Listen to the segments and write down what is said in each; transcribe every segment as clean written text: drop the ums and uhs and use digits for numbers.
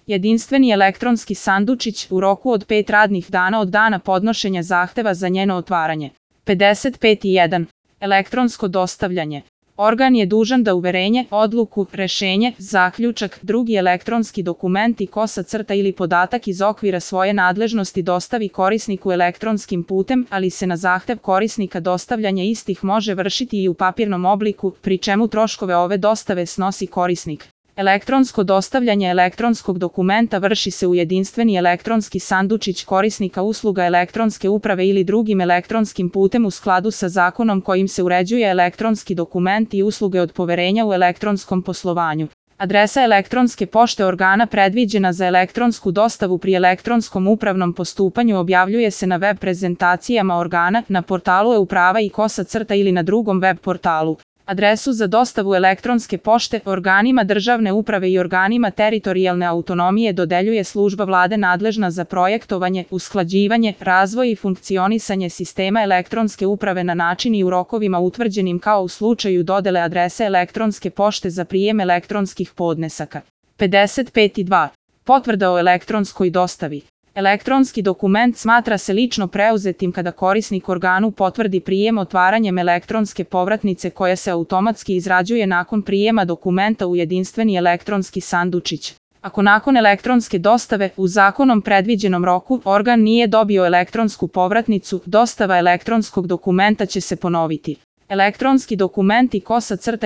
Jedinstveni elektronski sandučić u roku od 5 radnih dana od dana podnošenja zahteva za njeno otvaranje. 55.1. Elektronsko dostavljanje. Organ je dužan da uverenje, odluku, rešenje, zaključak, drugi elektronski dokument i ili podatak iz okvira svoje nadležnosti dostavi korisniku elektronskim putem, ali se na zahtev korisnika dostavljanje istih može vršiti i u papirnom obliku, pri čemu troškove ove dostave snosi korisnik. Elektronsko dostavljanje elektronskog dokumenta vrši se u jedinstveni elektronski sandučić korisnika usluga elektronske uprave ili drugim elektronskim putem u skladu sa zakonom kojim se uređuje elektronski dokument i usluge od poverenja u elektronskom poslovanju. Adresa elektronske pošte organa predviđena za elektronsku dostavu pri elektronskom upravnom postupanju objavljuje se na web prezentacijama organa, na portalu e-uprava i ili na drugom web portalu. Adresu za dostavu elektronske pošte organima državne uprave i organima teritorijalne autonomije dodeljuje služba vlade nadležna za projektovanje, usklađivanje, razvoj i funkcionisanje sistema elektronske uprave na način i u rokovima utvrđenim kao u slučaju dodele adrese elektronske pošte za prijem elektronskih podnesaka. 55.2. Potvrda o elektronskoj dostavi. Elektronski dokument smatra se lično preuzetim kada korisnik organu potvrdi prijem otvaranjem elektronske povratnice koja se automatski izrađuje nakon prijema dokumenta u jedinstveni elektronski sandučić. Ako nakon elektronske dostave u zakonom predviđenom roku organ nije dobio elektronsku povratnicu, dostava elektronskog dokumenta će se ponoviti. Elektronski dokument i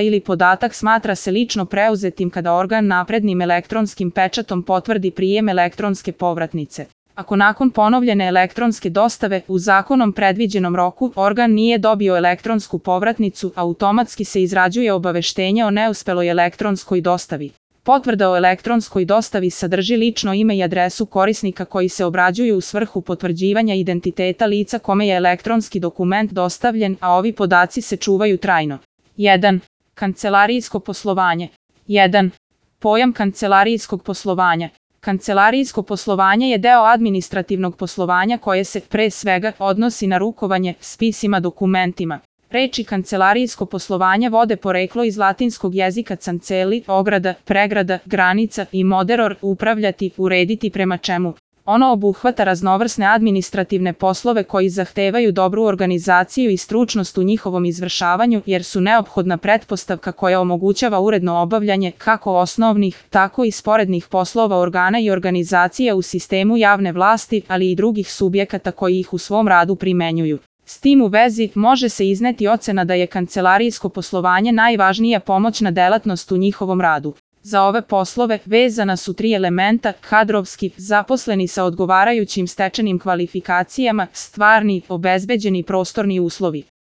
ili podatak smatra se lično preuzetim kada organ naprednim elektronskim pečatom potvrdi prijem elektronske povratnice. Ako nakon ponovljene elektronske dostave u zakonom predviđenom roku organ nije dobio elektronsku povratnicu, automatski se izrađuje obaveštenje o neuspeloj elektronskoj dostavi. Potvrda o elektronskoj dostavi sadrži lično ime i adresu korisnika koji se obrađuju u svrhu potvrđivanja identiteta lica kome je elektronski dokument dostavljen, a ovi podaci se čuvaju trajno. 1. Kancelarijsko poslovanje. 1. Pojam kancelarijskog poslovanja. Kancelarijsko poslovanje je deo administrativnog poslovanja koje se, pre svega, odnosi na rukovanje spisima dokumentima. Reči kancelarijsko poslovanje vode poreklo iz latinskog jezika canceli, ograda, pregrada, granica i moderor, upravljati, urediti prema čemu. Ono obuhvata raznovrsne administrativne poslove koji zahtevaju dobru organizaciju i stručnost u njihovom izvršavanju jer su neophodna pretpostavka koja omogućava uredno obavljanje kako osnovnih, tako i sporednih poslova organa i organizacija u sistemu javne vlasti, ali i drugih subjekata koji ih u svom radu primenjuju. S tim u vezi, može se izneti ocena da je kancelarijsko poslovanje najvažnija pomoćna delatnost u njihovom radu. Za ove poslove vezana su 3 elementa: kadrovski, zaposleni sa odgovarajućim stečenim kvalifikacijama, stvarni, obezbeđeni prostorni uslovi.